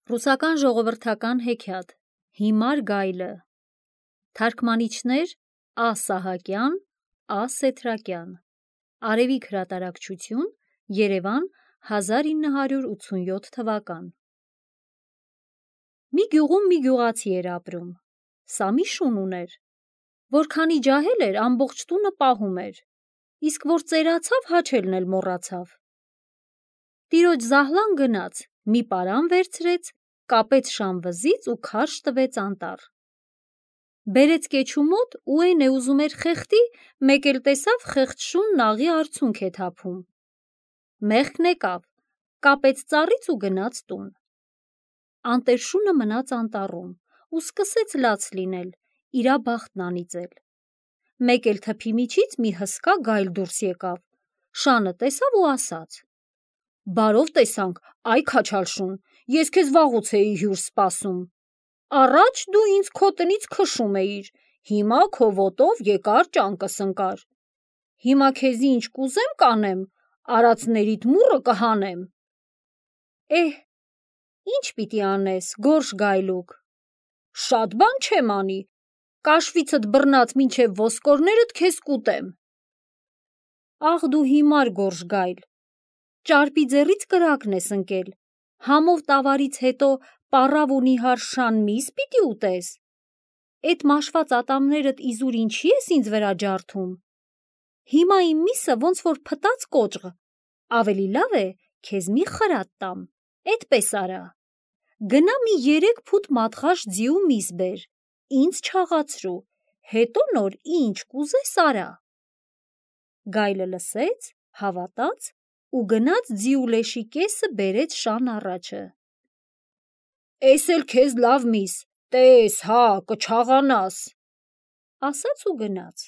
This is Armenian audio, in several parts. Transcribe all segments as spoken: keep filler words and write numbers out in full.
Ռուսական ժողովրդական հեքիաթ Հիմար գայլը Թարգմանիչներ Ա. Սահակյան, Ա. Սեթրակյան Արևիկ հրատարակչություն Երևան հազար ինը հարյուր ութսունյոթ թվական Մի գյուղում մի գյուղացի էր ապրում, սա մի շուն ուներ, որքանի ջահել էր ամբողջ տունը պահում էր, իսկ որ ծերացավ հաչելն էլ մոռացավ։ Տիրոջ զահլան գնաց, մի պարան վերցրեց, կապեց շան վզից ու քարշ տվեց անտառ։ Բերեց կեչու մոտ ու էն է ուզում էր խեղդի, մեկ էլ տեսավ խեղճ շունն աղի արցունք է թափում։ Մեղքն եկավ, կապեց ծառից ու գնաց տուն։ Անտեր շունը մնաց անտառում ու սկսեց լաց լինել, իրա բախտն անիծել։ Մեկ էլ թփի միջից մի հսկա գայլ դուրս եկավ, շանը տեսավ ու ասաց. Բարով տեսանք, այ քաչալ շուն, ես քեզ վաղուց էի հյուր սպասում։ Առաջ դու ինձ քո տնից քշում էիր, հիմա քո ոտով եկար ճանկս ընկար։ Հիմա քեզի ինչ կուզեմ կանեմ, արածներիդ մուրը կհանեմ։ Էհ, ինչ պիտի անես, գորշ գայլուկ։ Շատ բան չեմ անի, կաշվիցդ բռնած մինչև ոսկորներդ քեզ կուտեմ։ Աղ դու հիմար գորշ գայլ, ճարպի ձեռից կրակն ես ընկել, համով տավարից հետո պառավ ու նիհար շան միս պիտի ուտես։ Էդ մաշված ատամներդ իզուր ինչի ես ինձ վրա ջարդում։ Հիմա իմ միսը ոնց որ փտած կոճղ, ավելի լավ է քեզ մի խրատ տամ, էդպես արա։ Գնա մի երեք փուտ մատղաշ ձիու միս բեր, ինձ չաղացրու, հետո նոր ինչ կուզես արա։ Գայլը լսեց, հավատաց ու գնաց ձիու լեշի կեսը բերեց շան առաջը։ Էս էլ քեզ լավ միս, տես, հա, կչաղանաս, ասաց ու գնաց։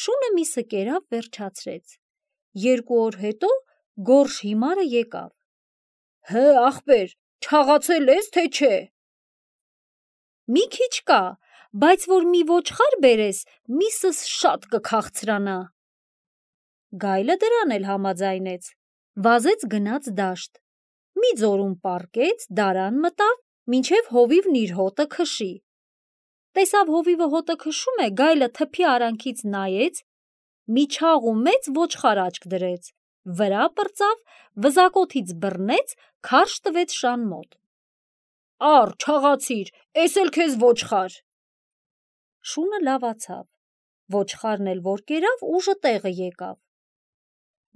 Շունը միսը կերավ վերջացրեց։ Երկու օր հետո գորշ հիմարը եկավ։ Հը, ախպեր, չաղացել ես, թե չէ։ Մի քիչ կա, բայց որ մի ոչխար բերես, միսս շատ կքաղցրանա։ Գայլը դրան էլ համաձայնեց, վազեց գնաց դաշտ, մի ձորում պառկեց, դարան մտավ, մինչև հովիվն իր հոտը քշի։ Տեսավ հովիվը հոտը քշում է, գայլը թփի արանքից նայեց, մի չաղ ու մեծ ոչխար աչք դրեց, վրա պրծավ, վզակոթից բռնեց, քարշ տվեց շան մոտ։ Առ, չաղացիր, էս էլ քեզ ոչխար։ Շունը լավացավ, ոչխարն էլ որ կերավ, ուժը տեղը եկավ։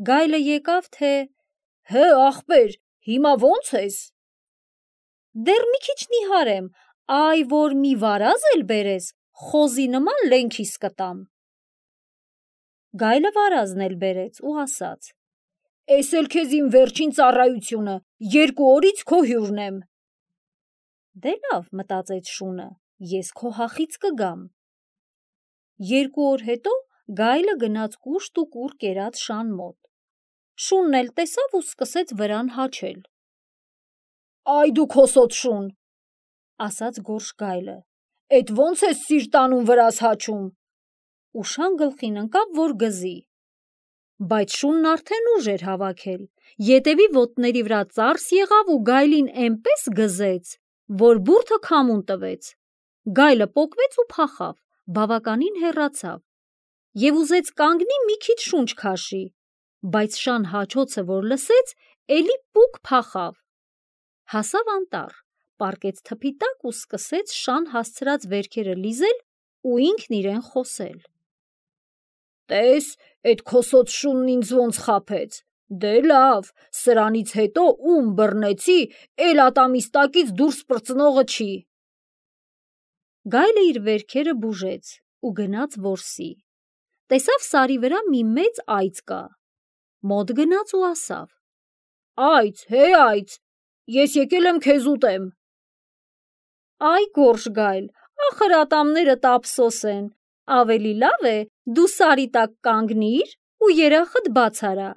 Գայլը եկավ, թե հը, ախպեր, հիմա ոնց ես։ Դեռ մի քիչ նիհար եմ, այ որ մի վարազ էլ բերես, խոզի նման լենքիս կտամ։ Գայլը վարազն էլ բերեց ու ասաց. Էս էլ քեզ իմ վերջին ծառայությունը, երկու օրից քո հյուրն եմ։ Դե լավ, մտածեց շունը, ես քո հախից կգամ։ Երկու օր հետո գայլը գնաց կուշտ ու կուռ կերած շան մոտ։ Շունն էլ տեսավ ու սկսեց վրան հաչել։ Այ դու քոսոտ շուն, ասաց գորշ գայլը, էդ ոնց ես սիրտանուն վրաս հաչում։ Ու շան գլխին ընկավ, որ գզի։ Բայց շունն արդեն ուժ էր հավաքել, ետևի ոտների վրա ծարս եղավ ու գայլին էնպես գզեց, որ բուրդը քամուն տվեց։ Գայլը պոկվեց ու փախավ, բավականին հեռացավ և ուզեց կանգնի մի քիչ շունչ քաշի, բայց շան հաչոցը որ լսեց, էլի պուկ փախավ։ Հասավ անտառ, պառկեց թփի տակ ու սկսեց շան հասցրած վերքերը լիզել ու ինքն իրեն խոսել։ Տես, էդ քոսոտ շունն ինձ ոնց խաբեց, դե լավ, սրանից հետո ում բռնեցի, էլ ատամիս տակից դուրս պրծնողը չի։ Գայլը իր վերքերը բուժեց ու գնաց որսի։ Տեսավ սարի վրա մի մեծ այծ կա։ Մոտ գնաց ու ասավ. Այծ, հե այծ, ես եկել եմ քեզ ուտեմ։ Այ գորշ գայլ, ախր ատամներդ ափսոս են, ավելի լավ է դու սարի տակ կանգնիր ու երախդ բաց արա,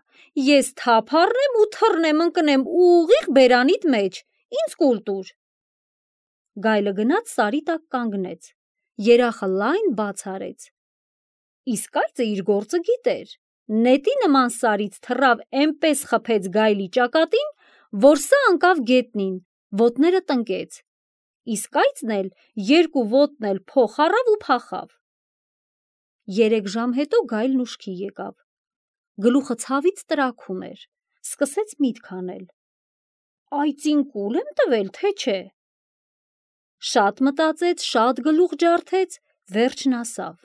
ես թափ առնեմ ու թռնեմ ընկնեմ ուղիղ բերանիդ մեջ, ինձ կուլ տուր։ Գայլը գնաց սարի տակ կանգնեց, երախը լայն բաց արեց։ Իսկ այծը իր գործը գիտեր, նետի նման սարից թռավ էնպես խփեց գայլի ճակատին, որ սա ընկավ գետնին, ոտները տնկեց, իսկ այծն էլ երկու ոտն էլ փոխ առավ ու փախավ։ Երեք ժամ հետո գայլն ուշքի եկավ, գլուխը ցավից տրաքում էր, սկսեց միտք անել. «Այծին կուլ եմ տվել, թե չէ»։ Շատ մտածեց, շատ գլուխ ջարդեց, վերջն ասավ.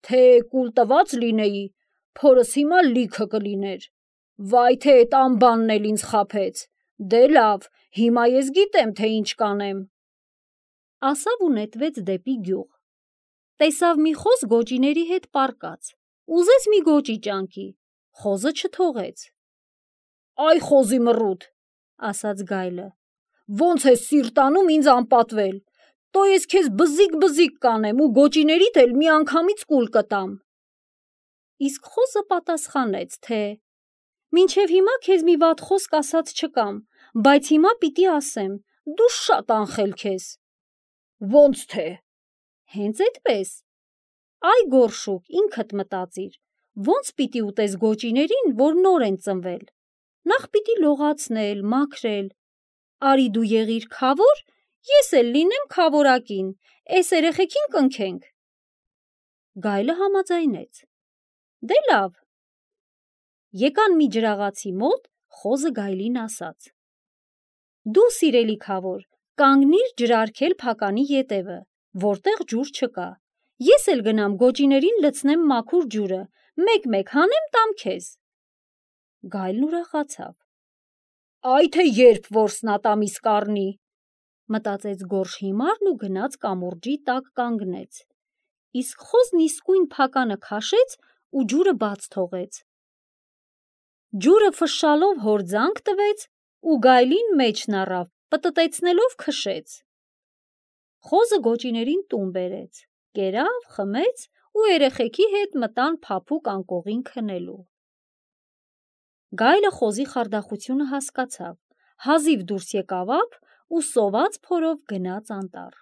«Թե կուլ տված լինեի, փորս հիմա լիքը կլիներ, վայ թե էդ անբանն էլ ինձ խաբեց, դե լավ, հիմա ես գիտեմ, թե ինչ կանեմ»։ Ասավ ու նետվեց դեպի գյուղ, տեսավ մի խոզ գոճիների հետ պառկած, ուզեց մի գոճի ճանկի, խոզը չթողեց։ «Այ խոզի մռութ», ասաց գայլը, «ոնց ես սիրտ անում ինձ անպատվել, տո ես քեզ բզիկ-բզիկ կանեմ ու գոճիներիդ էլ միանգամից կուլ կտամ»։ Իսկ խոզը պատասխանեց, թե «Մինչև հիմա քեզ մի վատ խոսք ասած չկամ, բայց հիմա պիտի ասեմ, դու շատ անխելք ես»։ «Ոնց թե»։ «Հենց էդպես։ Այ գորշուկ, ինքդ մտածիր, ոնց պիտի ուտես գոճիներին, որ նոր են ծնվել, նախ պիտի լողացնել, մաքրել, արի դու եղիր քավոր, ես էլ լինեմ քավորակին, էս երեխեքին կնքենք»։ Գայլը համաձայնեց. «Դե լավ»։ Եկան մի ջրաղացի մոտ, խոզը գայլին ասաց. «Դու սիրելի քավոր, կանգնիր ջրարգել փականի ետևը, որտեղ ջուր չկա, ես էլ գնամ գոճիներին լցնեմ մաքուր ջուրը, մեկ-մեկ հանեմ տամ քեզ»։ Գայլն ուրախացավ. «Այ թե երբ որսնա տամիս կառնի», մտածեց գորշ հիմարն ու գնաց կամուրջի տակ կանգնեց, իսկ խոզն իսկույն փականը քաշեց ու ջուրը բաց թողեց։ Ջուրը ֆշշալով հորձանք տվեց ու գայլին մեջն առավ, պտտեցնելով քշեց։ Խոզը գոճիներին տուն բերեց, կերավ, խմեց ու երեխեքի հետ մտան փափուկ անկողին քնելու։ Գայլը խոզի խարդախությունը հասկացավ, հազիվ դուրս եկավ ափ ու սոված փորով գնաց անտառ։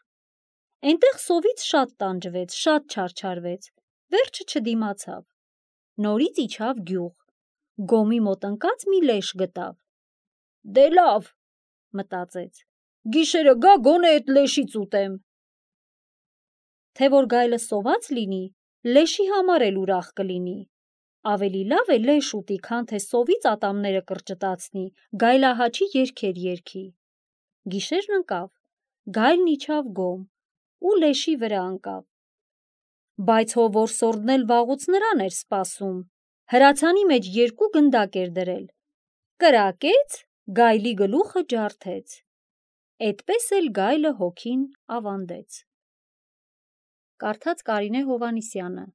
Էնտեղ սովից շատ տանջվեց, շատ չարչարվեց, վերջը չդիմացավ, նորից իջավ գյուղ, գոմի մոտ ընկած մի լեշ գտավ։ «Դե լավ», մտածեց, «գիշերը գա գոնե էդ լեշից ուտեմ»։ Թե որ գայլը սոված լինի, լեշի համար էլ ուրախ կլինի։ Ավելի լավ է լեշ ուտի, քան թե սովից ատամները կրճտացնի, գայլահաչի երգեր երգի։ Գիշերն ընկավ, գայլն իջավ գոմ ու լեշի վրա ընկավ։ Բայց հո որսորդն էլ վաղուց նրան էր սպասում, հրացանի մեջ երկու գնդակ էր դրել, կրակեց, գայլի գլուխը ջարդեց։ Էդպես էլ գայլը հոգին ավանդեց։ Կարդաց Կարինե Հովհաննիսյանը,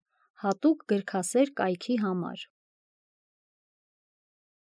հատուկ գրքասեր կայքի համար։